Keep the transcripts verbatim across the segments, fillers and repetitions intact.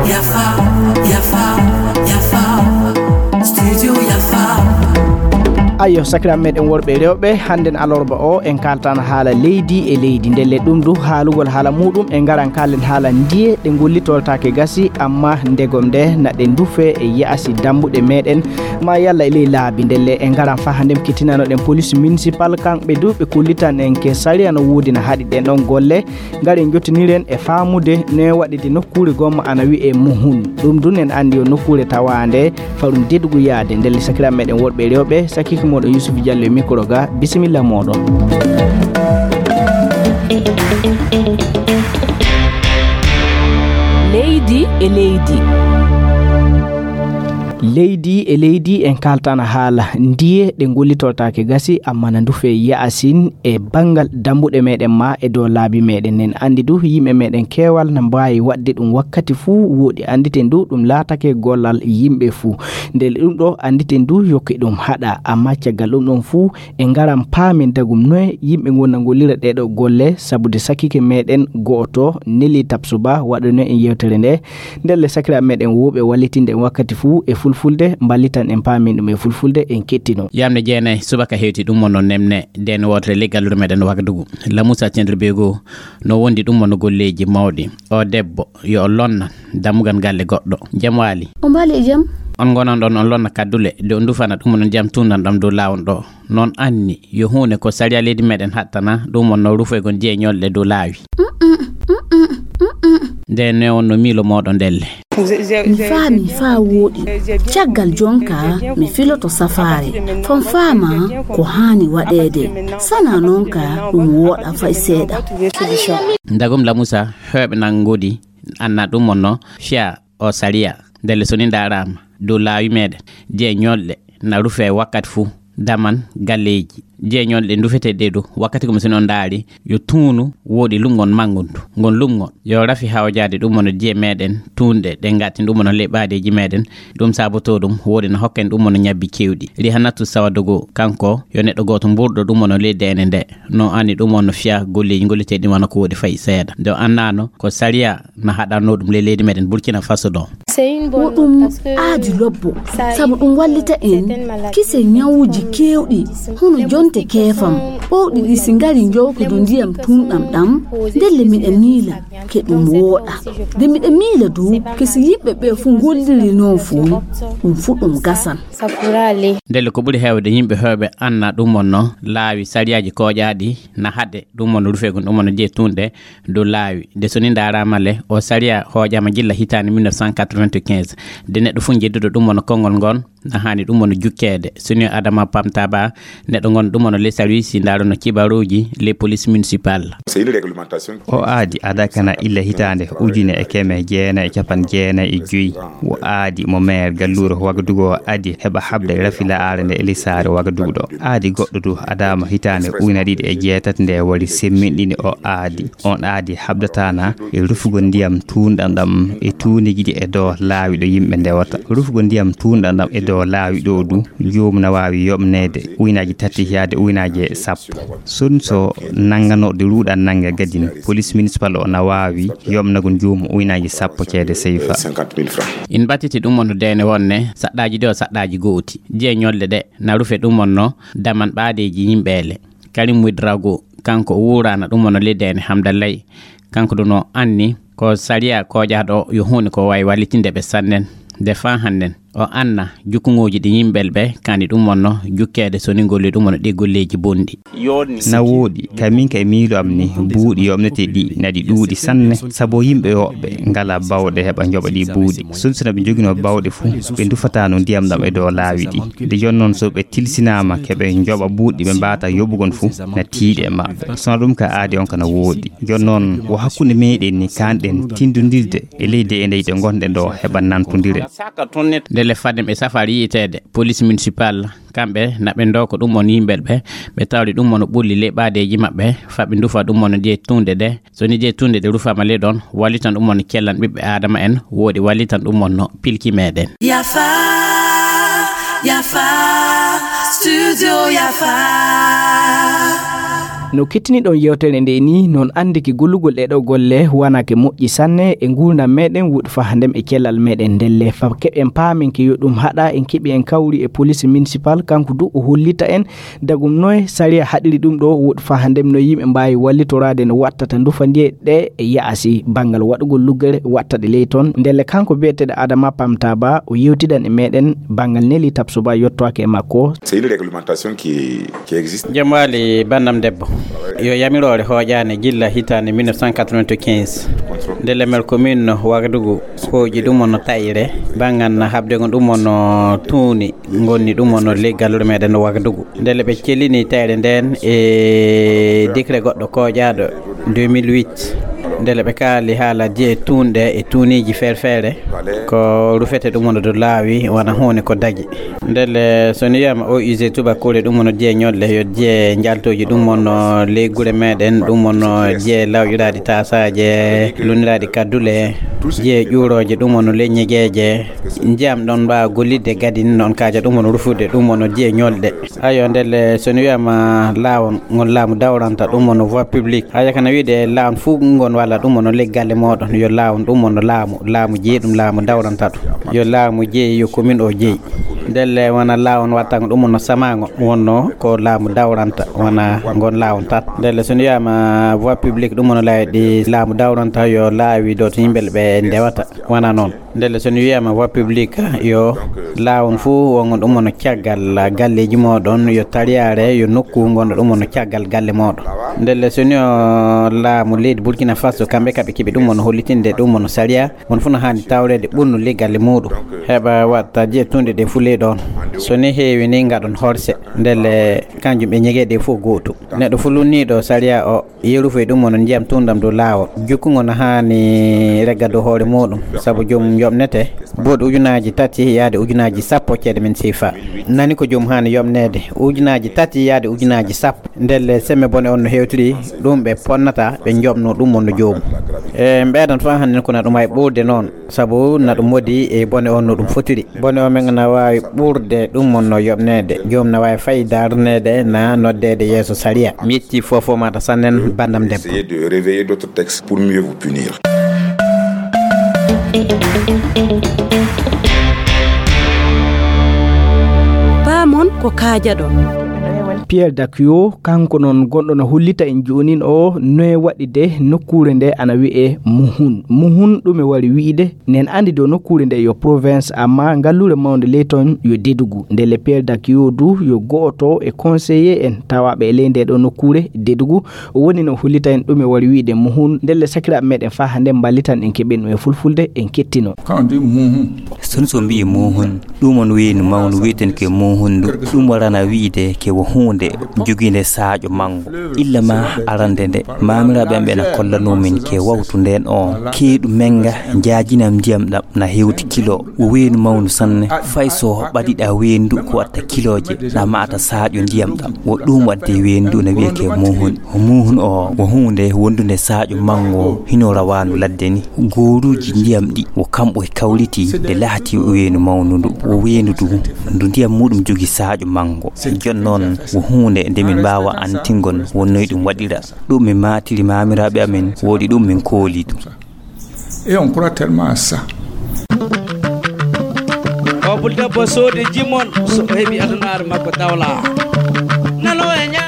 Yafa, yafa, yafa. Studio yafa. Ayo, sakiraaɓe meɗen worɓe e rewɓe, hannden alarba o en kaaltan haala leydi e leydi. Ndelle ɗum du haalugol haala muɗum, en ngaran kaalen haala ndiye ɗe ngollitoltaake gasi, amma ndegom nde na ɗe ndufe e yaasi dambuɗe meɗen, ma yalla e ley laabi. Ndelle en ngaran fa hannden kettinanoɗen police municipal, kamɓe du ɓe kollitan en ke sariya no woodi na haɗi ɗen ɗon golle. Ngaren jottiniren e faamude ne waɗi de nokkuure gomma ana wi'e Muhun. Ɗum dun en andi yo nokkuure tawaande farum deɗugu yaade. Ndelle sakiraaɓe meɗen worɓe e rewɓe, sakiike moɗon Yusuf Diallo e micro ga, bisimilla moɗon. Leydi e leydi. Leydi e leydi en kaaltana haala ndiye ɗe ngollitoltaake gasi, amma na ndufe yaasin e banngal dambuɗe meɗen ma e dow laabi meɗen. En andi du yimɓe meɗen keewal na mbaawi waɗde ɗum wakkati fuu. Woɗi anditen du ɗum laatake gollal yimɓe fuu. Ndelle ɗum ɗo anditen du yokke ɗum haɗa, amma caggal ɗum ɗon fuu e ngaran paamen dagum noye yimɓe ngon na ngollira ɗeɗo golle, sabude sakiike meɗen go'oto Nelly Tapsoba waɗano en yewtere nde. Ndelle sakiraaɓe meɗen wuuɓe wallitinde en wakkati fuu e fulfulde, mballitan en paamin ɗum e fulfulde, en kettino. Yamde jeenayi subaka hewti ɗum wonno nemne den wotere ley galluure meɗen Wagadugu. Lamusa Cendribego no wondi ɗum wonno golleeji mawɗi. O debbo yo o lonna dammugal galle goɗɗo. Jam waali. O mbaali e jam. On ngonan ɗon on lonna kaddule de on dufana ɗum wonno jam tundan ɗam dow laawol ɗo. Noon anni yo huunde ko sariya leydi meɗen hattana ɗum wonno rufoygol jeeñolɗe dow laawi. Nde ne on no miilo mooɗo ndelle. Mi faami faa wooɗi. Caggal jonka mi filoto safaare. Fon faama ko haani waɗeede. Sana noon ka ɗum wooɗa fay seeɗa. Ndagum Lamusa heɓe nan ngodi anna ɗum wonno fiya o sariya. Ndelle so ni ndaaraama dow laawi meɗen, jeeñolɗe na rufe wakkati fuu, daman galleeji, jeeñolɗe ndufete ɗe du wakkati ko mi sino ndaari yo tuunu woɗi lumngon manngundu. Ngon lumngon yo rafi hawjaade ɗum wonno jee meɗen tuunɗe ɗe ngatin ɗum wonno ley ɓaadeeji meɗen. Ɗum saboto ɗum woɗi na hokken ɗum wonno ñabbi kewɗi. Rihanatu Sawadogo kanko yo neɗɗo gooto mburɗo ɗum wonno ley deene nde. No anni ɗum wonno fiya golleeji ngolliteeɗi wano ko woɗi fayi seeɗa. Nde o annano ko sariya na haɗanno ɗum ley leydi meɗen Burkina Faso ɗo. Ko ɗum aadi lobbo, sabu ɗum wallita en kise ñawuji keewɗi, hono jonte keefam, ɓowɗi ɗi si ngari njowtodo ndiyam tunɗam ɗam, ndelle miɗa miila ke ɗum wooɗa. Nde miɗa miila dow ke si yimɓe ɓe fuu ngolliri noon fuu, ɗum fuu ɗum gasan. Ndelle ko ɓuri heewde yimɓe heewɓe anna ɗum wonno laawi sariyaaji kooƴaaɗi na haɗe ɗum wonno rufeegun ɗum wonno jee tunɗe dow laawi. Nde so ni ndaaraama le, o sariya hooƴaama gilla hitaande mille neuf cent quatre-vingt-quinze. Nde neɗɗo fof jedduɗo ɗum wonno konngol ngon, na haani ɗum wonno jukkeede. So ni Adama Pamtaba, neɗɗo ngon ɗum wonno les services, ndaarono kibaruuji, les police municipal. O aadi ada kana illa hitaande ujune e keme jeenayi e capan jeenayi e joyi. O aadi mo maire galluure Wagadugu o adi heɓa haɓde rafi la'aare nde e lisaare Wagadugu ɗo. Aadi goɗɗo du adaama hitaande ujune ɗiɗi e jeetati nde wari semminɗini o aadi. On aadi haɓdataana e rufugol ndiyam tuunɗam ɗam e tuunigi ɗi e dow laawi ɗo yimɓe ndewata. Rufugol ndiyam tuunɗam ɗam e dow laawi ɗo du, joomum na waawi yoɓneede uynaaji tati yaade uynaaji sappo. Sun so nannganooɗo ruuɗan nannga gadin, police municipal o na waawi yoɓnagol joomum uynaaji sappo ceede seyfa. In mbattiti ɗum wonno deene wonne saɗɗaaji ɗi o saɗɗaaji gooti. Jee ñolɗe ɗe na rufe ɗum wonno daman ɓaadeeji yimɓeele. Karim Ouedraogo, kanko o wuuraana ɗum wonno ley deene Hamdallay. Kanko ɗum o anni ko sariya kooƴaaɗo yo huunde ko waawi wallitinde ɓe sannen. Nde faa hannden o anna jukkuŋooji ɗi yimɓel ɓe kani ɗum wonno jukkeede so ni ngolli ɗum wonno ɗi golleeji bonɗi. Na wooɗi, ka min ka e miilo am ni, buuɗi yoɓnete ɗi na ɗi ɗuuɗi sanne, sabu yimɓe woɓɓe ngala bawɗe heɓa njoɓa ɗi buuɗi. Sun sina ɓe njoginoo bawɗe fu, ɓe ndufataano ndiyam ɗam e dow laawi ɗi. Nde jon noon so ɓe tilsinaama ke ɓe njoɓa buuɗi ɓe mbaata yoɓugol fu, na tiiɗe e maɓɓe. Sona ɗum ka aadi on kana wooɗi. Jon noon, wo hakkunde meɗen ni kanɗen tindondirde e leydi e ndeyɗe ngonɗen ɗo heɓa nantondire. Ndelle fadde ɓe safari yiiteede, police municipal, kamɓe na ɓe ndoko ɗum won yimɓel ɓe, ɓe tawri ɗum won ɓulli ley ɓaadeeji maɓɓe, fa ɓe ndufa ɗum won je tunde ɗe. So ni je tunde ɗe rufaama ley ɗon, wallitan ɗum won kellan ɓiɓɓe Aadama en, woodi wallitan ɗum won no pilki meɗen. Yafa, yafa, studio yafa. No kettiniɗon yewtere nde ni, non anndi ke gollugol ɗe ɗo golle wonaa ke moƴƴi sanne e nguurndam meɗen, woɗi faa hannden e cellal meɗen. Ndelle fa keɓen paamen ke yo ɗum haɗa, en keɓi en kawri e police municipal, kanko du o hollita en dagum noye sariya haɗiri ɗum ɗo, woɗi faa hannden no yimɓe mbaawi wallitoraade no wattata ndufa ndiye ɗe e yaasi banngal waɗugol luggere watta ɗe ley toon. Ndelle kanko biyeteeɗo Adama Pamtaba o yewtidan e meɗen banngal Neli Tapsoba yottoake e makko. C'est une réglementation qui, qui existe. Jom waali banndam debbo. Yo yamiroore hooƴaani gilla hitaande mille neuf cent quatre-vingt-quinze. Nde lemel commune Wagadugu hooƴi ɗum on no taƴre, banngal haɓde ngon ɗum on no tuuni, ngonni ɗum on no ley galluure meɗen no Wagadugu. Ndele ɓe cellini taƴre nden e décret goɗɗo kooƴaaɗo deux mille huit. Ndele ɓe kaali haala jeyi tuunɗe e tuuniiji feere feere. Ko rufete ɗum on no dow laawi, wona huunde ko dagi. Ndelle, so ni wiyaama O U G tubakoore ɗum on no jeyi ñolɗe, yo jeyi njaltooji ɗum on no ley gure meɗen, ɗum on no jeyi lawƴiraaɗi taasaaje, lunniraaɗi kaddule, jeyi ƴuurooje ɗum on no ley ñegeeje. Ndiyam ɗon mbaawa gollidde gadin noon kaaja ɗum on no rufude, ɗum on no jeyi ñolɗe. Ayo, ndelle, so ni wiyaama laawol ngol laamu dawranta, ɗum on no voie publique. Haya kana wiide laawol fuu ngon walla ɗum on no ley galle mooɗon, yo laawol ɗum on no laamu, laamu jeyi ɗum, laamu dawranta ɗum. Yo laamu jeyi, yo commune o jeyi. Ndelle wona laawol wattangol ɗum on no samaango, wonno ko laamu dawranta, wona ngon laawol tan. Ndelle so ni wiyaama voie publique, ɗum on no laawi ɗi laamu dawranta, yo laawi ɗo to yimɓe ɓe ndewata, wona noon. Ndelle so ni wiyaama voie publique, yo laawol fuu wongo ɗum on no caggal galleeji mooɗon, yo tariyaare, yo nokku ngonɗo ɗum on no caggal galle mooɗon. Ndelle so ni o laamu leydi Burkina Faso, kamɓe kaɓe keɓi ɗum on no hollitinde ɗum on no sariya, on fuu no haani tawreede ɓurnu ley galle muuɗum. Heɓa watta jeyi tuunɗe ɗe fuu ley ɗoon. So ni heewi ni ngaɗon horse, ndelle kanjum ɓe ñegeeɗe fof gootum. Neɗɗo fuu lunniiɗo sariya o, yeru fof e ɗum on no ndiyam tuunɗam dow laawol. Jukkungo no haani regga dow hoore muuɗum, sabu joomum yoɓnete buuɗi ujunaaji tati yaade ujunaaji sappo ceede men seefa. Nani ko joomum haani yoɓneede ujunaaji tati yaade ujunaaji sappo. Ndelle semme bone on no hewtiri, ɗum ɓe ponnata, ɓe njoɓno ɗum on no joomum. E ɓeydan fof hannden ko na ɗum ay ɓurde noon, sabu na ɗum wodi e bone on no ɗum fotiri. Bone o men na waawi ɓurde ɗum on no yoɓneede. Joom na waawi fay darneede na noddeede yeeso sariya. Mi yetti fof fof maɗa sannen banndam debbo. Essayez de réveiller d'autres textes pour mieux vous punir. Paamon ko kaajaɗon. Pierre Dakio, kanko noon gonɗo no hollita en joonin o noye waɗi de nokkuure nde ana wi'e Muhun. Muhun ɗume wari wi'ide? Nen andi dow nokkuure nde yo province, amma ngalluure mawnde ley toon yo Dedugu. Ndelle Pierre Dakio du yo go'oto e conseiller en tawaaɓe e ley nde ɗo nokkuure Dedugu. O woni no hollita en ɗume wari wi'ide Muhun. Ndelle sakiraaɓe meɗen faa hannde mballitan en keɓen ɗum e fulfulde en kettino. Quand on dit Muhun, so ni so mbi'i Muhun, ɗum on weynu mawnu wi'eten ke Muhun ndu. Ɗum warana wi'ide ke wo huunde jogiinde saaƴo manngo. Illa ma arande nde, maamiraaɓe am ɓe na kollanoo min ke wawtu ndeen on. Keeɗu menga njaajinam ndiyam ɗam na hewti kilo. Wo weynu mawnu sanne. Fay so ɓadiɗa weynu ndu ko watta kilooje, na maata saaƴo ndiyam ɗam. Wo ɗum wadde weynu ndu na wi'e ke Muhun. Muhun o wo huunde wondunde saaƴo manngo hino rawaandu ladde ni. Gooruuji ndiyam ɗi wo kamɓe kawriti nde lahati weynu mawnu ndu. Wo weynu ndu, ndu ndiyam muɗum jogi saaƴo manngo. Jon noon wo huunde nde min mbaawa antingol wonnoy ɗum waɗira. Ɗum min maatiri maamiraaɓe amen, woodi ɗum min kooli ɗum. Et on croit tellement à ça. O Bul Debbo soodi jimon so o heɓi adunaaru makko dawla.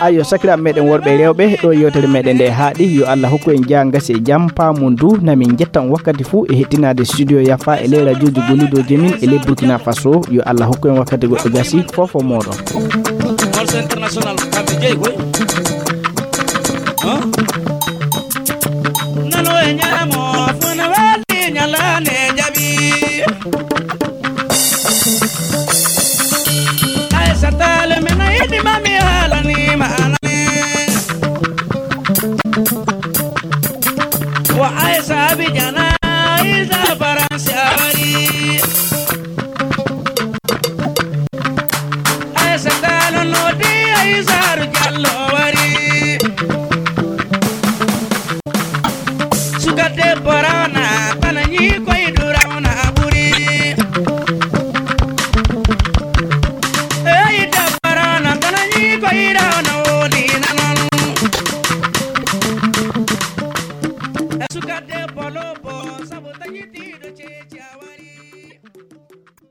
Ayo, sakiraaɓe meɗen worɓe e rewɓe, ɗo yewtere meɗen nde haaɗi. Yo Allah hokku en jaa ngasi e jam, paamun du. Na min njettan wakkati fuu e hettinaade studio Yafa e ley radiooji gollidoji min e ley Burkina Faso. Yo Allah hokku en wakkati goɗɗo gasi, fof fof mooɗon. Morceau international, kamɓe jeyi koy. Huh? Nano e ñaamo, funa weldi ñalaande jaɓi. Aysata le min a yiɗi ma mi haalani ma anani. Wa Aysa Abidjan, Aysa Faransi a wari. Aysata no noddi Aysa Jallo wari. Sabu taƴitiiɗo ceeci